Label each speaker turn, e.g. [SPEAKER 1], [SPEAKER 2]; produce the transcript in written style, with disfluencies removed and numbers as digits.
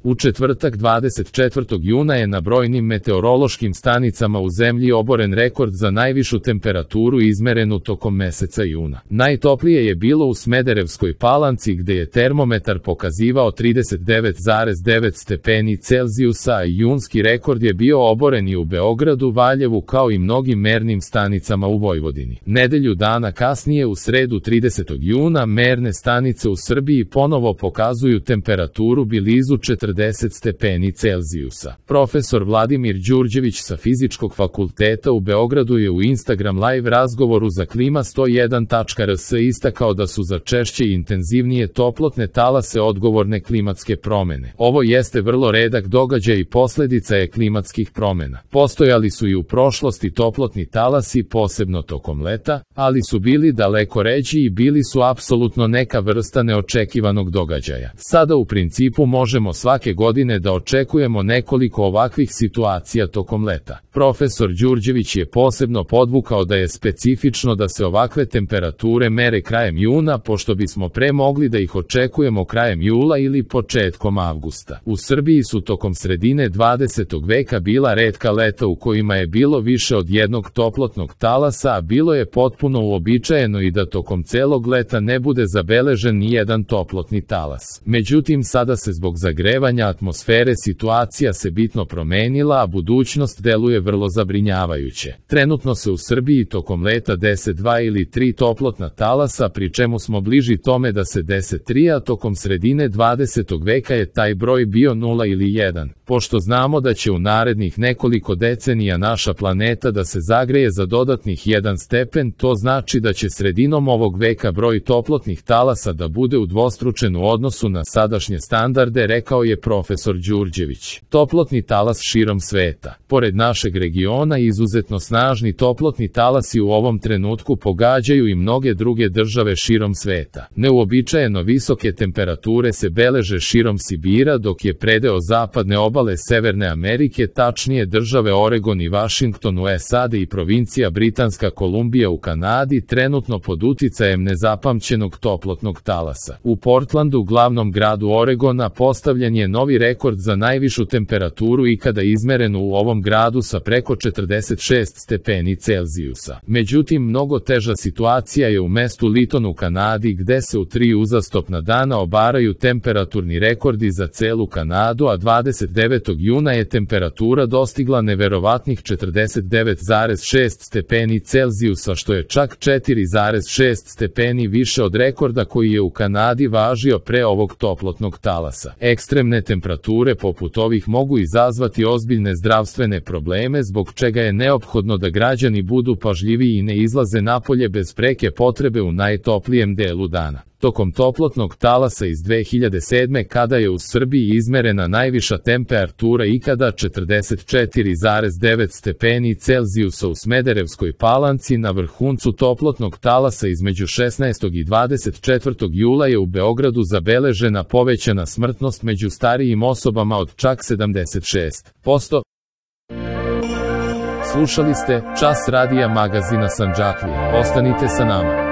[SPEAKER 1] U četvrtak 24. juna je na brojnim meteorološkim stanicama u zemlji oboren rekord za najvišu temperaturu izmerenu tokom meseca juna. Najtoplije je bilo u Smederevskoj Palanci gde je termometar pokazivao 39,9 stepeni Celzijusa, a junski rekord je bio oboren i u Beogradu, Valjevu kao i mnogim mernim stanicama u Vojvodini. Nedelju dana kasnije u sredu 30. juna merne stanice u Srbiji ponovo pokazuju temperaturu blizu 40 stepeni Celzijusa. Profesor Vladimir Đurđević sa Fizičkog fakulteta u Beogradu je u Instagram live razgovoru za klima101.rs istakao da su za češće i intenzivnije toplotne talase odgovorne klimatske promene. Ovo jeste vrlo redak događaj i posledica je klimatskih promena. Postojali su i u prošlosti toplotni talasi, posebno tokom leta, ali su bili daleko ređi i bili su apsolutno neka vrsta neočekivanog događaja. Sada u principu možemo svake godine da očekujemo nekoliko ovakvih situacija tokom leta. Profesor Đurđević je posebno podvukao da je specifično da se ovakve temperature mere krajem juna, pošto bismo pre mogli da ih očekujemo krajem jula ili početkom avgusta. U Srbiji su tokom sredine 20. veka bila retka leta u kojima je bilo više od jednog toplotnog talasa, a bilo je potpuno uobičajeno i da tokom celog leta ne bude zabeležen ni jedan toplotni talas. Međutim, sada se zbog zagrevanja atmosfere situacija se bitno promenila, a budućnost deluje vrlo zabrinjavajuće. Trenutno se u Srbiji tokom leta dese 2 ili 3 toplotna talasa, pri čemu smo bliži tome da se dese 3, a tokom sredine 20. veka je taj broj bio 0 ili 1. Pošto znamo da će u narednih nekoliko decenija naša planeta da se zagreje za dodatnih 1 stepen, to znači da će sredinom ovog veka broj toplotnih talasa da bude udvostručen u odnosu na sadašnje standarde, rekao je profesor Đurđević. Toplotni talas širom sveta. Pored našeg regiona, izuzetno snažni toplotni talasi u ovom trenutku pogađaju i mnoge druge države širom sveta. Neuobičajeno visoke temperature se beleže širom Sibira, dok je predeo zapadne obale Severne Amerike, tačnije države Oregon i Vašington u SAD i provincija Britanska Kolumbija u Kanadi, trenutno pod uticajem nezapamćenog toplotnog talasa. U Portlandu, glavnom gradu Oregona, postavljen je novi rekord za najvišu temperaturu ikada izmerenu u ovom gradu sa preko 46 stepeni Celzijusa. Međutim, mnogo teža situacija je u mestu Lytton u Kanadi, gde se u 3 uzastopna dana obaraju temperaturni rekordi za celu Kanadu, a 29. juna je temperatura dostigla neverovatnih 49,6 stepeni Celzijusa, što je čak 4,6 stepeni više od rekorda koji je u Kanadi važio pre ovog toplotnog talasa. Ekstremne temperature poput ovih mogu izazvati ozbiljne zdravstvene probleme, zbog čega je neophodno da građani budu pažljivi i ne izlaze napolje bez preke potrebe u najtoplijem delu dana. Tokom toplotnog talasa iz 2007. kada je u Srbiji izmerena najviša temperatura ikada 44,9 stepeni Celzijusa u Smederevskoj Palanci, na vrhuncu toplotnog talasa između 16. i 24. jula je u Beogradu zabeležena povećana smrtnost među starijim osobama od čak 76%. Slušali ste Čas radija magazina Sandžaklija. Ostanite sa nama.